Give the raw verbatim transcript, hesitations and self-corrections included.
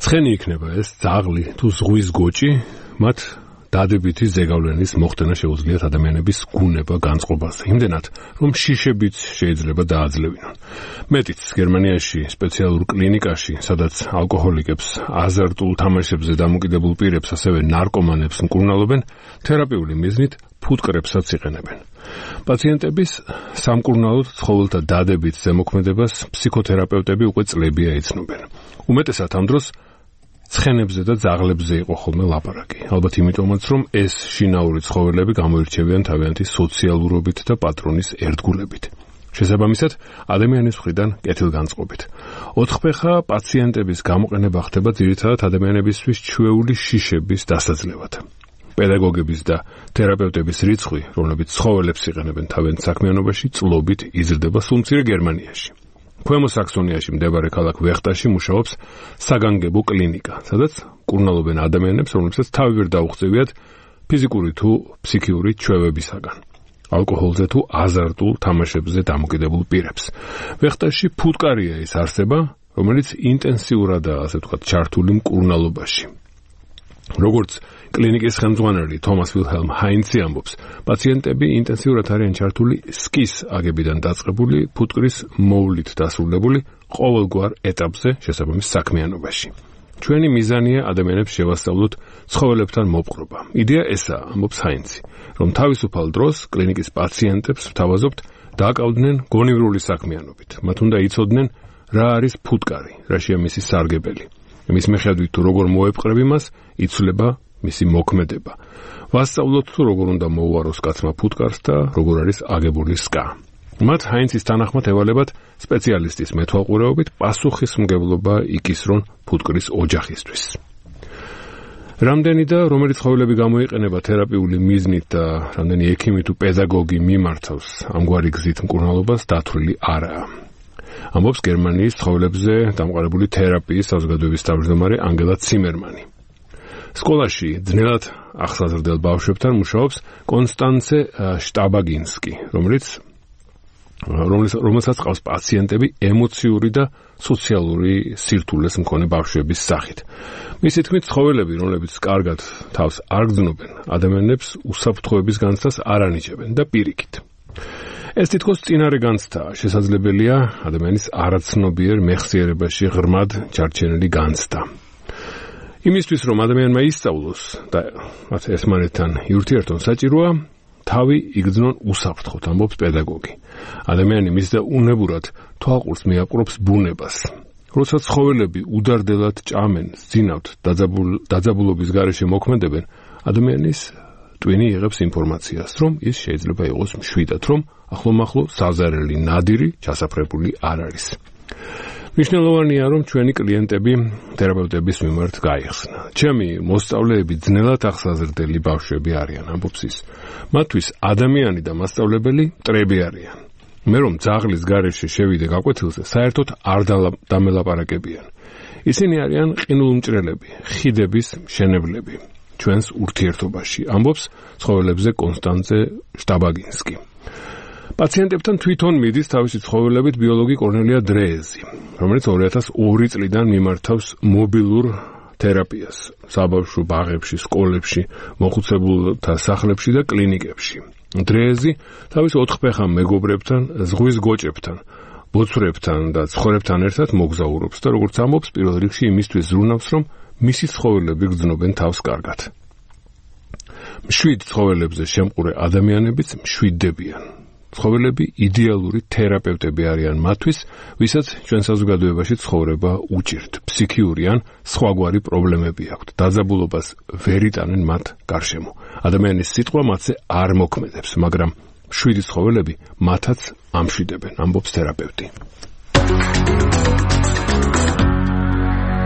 ცხენი იქნება ეს ძაღლი თუ ზღვის გოჭი, მათ დადებითი ზეგავლენის მოხდენა შეუძლიათ ადამიანების გუნება განწყობაზე. იმდენად, რომ შიშებიც შეიძლება დააძლევინონ. მეტიც გერმანიაში სპეციალურ კლინიკაში, სადაც ალკოჰოლიკებს, აზარტულ თამაშებზე დამოკიდებულ პირებს, ასევე ნარკომანებს მკურნალობენ, თერაპიული მიზნით ფუტკრებსაც იყენებენ. პაციენტების სამკურნალოდ ცხოველთა დადებით ზემოქმედებას ფსიქოთერაპევტები უკვე წლებია იცნობენ. უმეტესად ამ დროს ცხენებზე და ძაღლებზე იყო ხოლმე ლაპარაკი. ალბათ იმიტომაც, რომ ეს შინაური ცხოველები გამოირჩევიან თავიანთი სოციალურობით და პატრონის ერთგულებით. შესაბამისად, ადამიანის მხრიდან კეთილგანწყობით. ოთხფეხა პაციენტების გამოყენება ხდება ძირითადად ადამიანებისთვის ჩვეული შიშების დასაძლევად. პედაგოგების და თერაპევტების რიცხვი, რომლებიც ცხოველებს იყენებენ თავიანთ საქმიანობაში, წლობით იზრდება სულ მცირე გერმანიაში. ქვემო საქსონიაში მდებარე ქალაქ ვეხტაში მუშაობს საგანგებო კლინიკა, სადაც მკურნალობენ ადამიანებს, რომლებსაც თავი ვერ დაუღწევიათ ფიზიკური თუ ფსიქიური ჩვევებისაგან, ალკოჰოლზე თუ აზარტულ თამაშებზე დამოკიდებულ პირებს. ვეხტაში ფუტკარია ის არსება, რომელიც ინტენსიურადაა, ასე ვთქვათ, ჩართული მკურნალობაში. როგორც კლინიკის ხელმძღვანელი თომას ვილჰელმ ჰაინცი ამბობს, პაციენტები ინტენსიურად არიან ჩართული სკის აგებიდან დაწყებული ფუტკრის მოვლით დასრულებული ყოველგვარ ეტაპზე შესაბამის საქმიანობაში. ჩვენი მიზანია ადამიანებს შევასწავლოთ ცხოველებთან მოპყრობა. იდეა ესაა, ამბობს ჰაინცი, რომ თავისუფალ დროს კლინიკის პაციენტებს ვთავაზობთ დააკავდნენ გონივრული საქმიანობით. მათ უნდა იცოდნენ რა არის ფუტკარი, რაშია მისი სარგებელი. მის მიხედვით თუ როგორ მოეპყრები მას, იცვლება მისი მოქმედება. ვასწავლოთ თუ როგორ უნდა მოუაროს კაცმა ფუტკარს და როგორ არის აგებული სკა. მათ ჰაინცის თანახმად ევალებათ სპეციალისტის მეთვალყურეობით პასუხისმგებლობა იკისრონ ფუტკრის ოჯახისთვის. რამდენი და რომელი ცხოველები გამოიყენება თერაპიული მიზნით და რამდენი ექიმი თუ პედაგოგი მიმართავს ამგვარი გზით მკურნალობას დათვლილი არაა. ამბობს გერმანიის ცხოველებზე დამყარებული თერაპიის საზოგადოების თავმჯდომარე ანგელა ციმერმანი. სკოლაში ძნელად ახსაზრდელ ბავშვებთან მუშაობს კონსტანცე შტაბაგინსკი, რომელიც რომელსაც ყავს პაციენტები ემოციური და სოციალური სირთულეს მქონე ბავშვების სახით. მისი თქმით, ცხოველები, რომლებიც კარგად თავს არ გრძნობენ, ადამიანებს უსაფრთხოების განცდას არ ანიჭებენ და პირიქით. ეს თითქოს წინარე განცდაა, შესაძლებელია ადამიანის არაცნობიერ მეხსიერებაში ღრმად ჩარჩენილი განცდა. იმისთვის, რომ ადამიანმა ისწავლოს და მათ ერთმანეთთან იურთიერთონ, საჭიროა თავი იგრძნონ უსაფრთხოდ, ამბობს პედაგოგი. ადამიანი მის და უნებურად თვალყურს მიაპყრობს ბუნებას. როცა ცხოველები უდარდელად ჭამენ, ძინავთ, დაძაბულობის გარეშე მოქმედებენ, ადამიანის ტვინი იღებს ინფორმაციას, რომ ის შეიძლება იყოს მშვიდად, რომ ახლომახლო საზარელი ნადირი ჩასაფრებული არ არის. მნიშვნელოვანია, რომ ჩვენი კლიენტები თერაპევტების მიმართ გაიხსნა. ჩემი მოსწავლეები ძნელად ახსაზრდელი ბავშვები არიან, ამბობს ის. მათთვის ადამიანი და მასწავლებელი მტრები არიან. მე რომ ძაღლის გარეშე შევიდე გაკვეთილზე, საერთოდ არ დამელაპარაკებიან. ისინი არიან ყინულმჭრელები, ხიდების მშენებლები ჩვენს ურთიერთობაში, ამბობს ცხოველებზე კონსტანცე შტაბაგინსკი. პაციენტებთან თვითონ მიდის თავისი ცხოველებით ბიოლოგი კორნელია დრეეზი, რომელიც ორი ათას ორი წლიდან მიმართავს მობილურ თერაპიას საბავშვო ბაღებში, სკოლებში, მოხუცებულთა სახლებში და კლინიკებში. დრეეზი თავის ოთხფეხა მეგობრებთან, ზღვის გოჭებთან, ბოცვრებთან და ცხვრებთან ერთად მოგზაურობს და როგორც ამბობს, პირველ რიგში იმისთვის ზრუნავს, რომ მისი ცხოველები გრძნობენ თავს კარგად. მშვიდ ცხოველებზე შემყურე ადამიანებიც მშვიდდებიან. ცხოველები იდეალური თერაპევტები არიან მათთვის, ვისაც ჩვენ საზოგადოებაში ცხოვრება უჭირთ, ფსიქიური ან სხვაგვარი პრობლემები აქვთ. დაძაბულობას ვერ იტანენ მათ გარშემო. ადამიანის სიტყვა მათზე არ მოქმედებს, მაგრამ მშვიდი ცხოველები მათაც ამშვიდებენ, ამბობს თერაპევტი.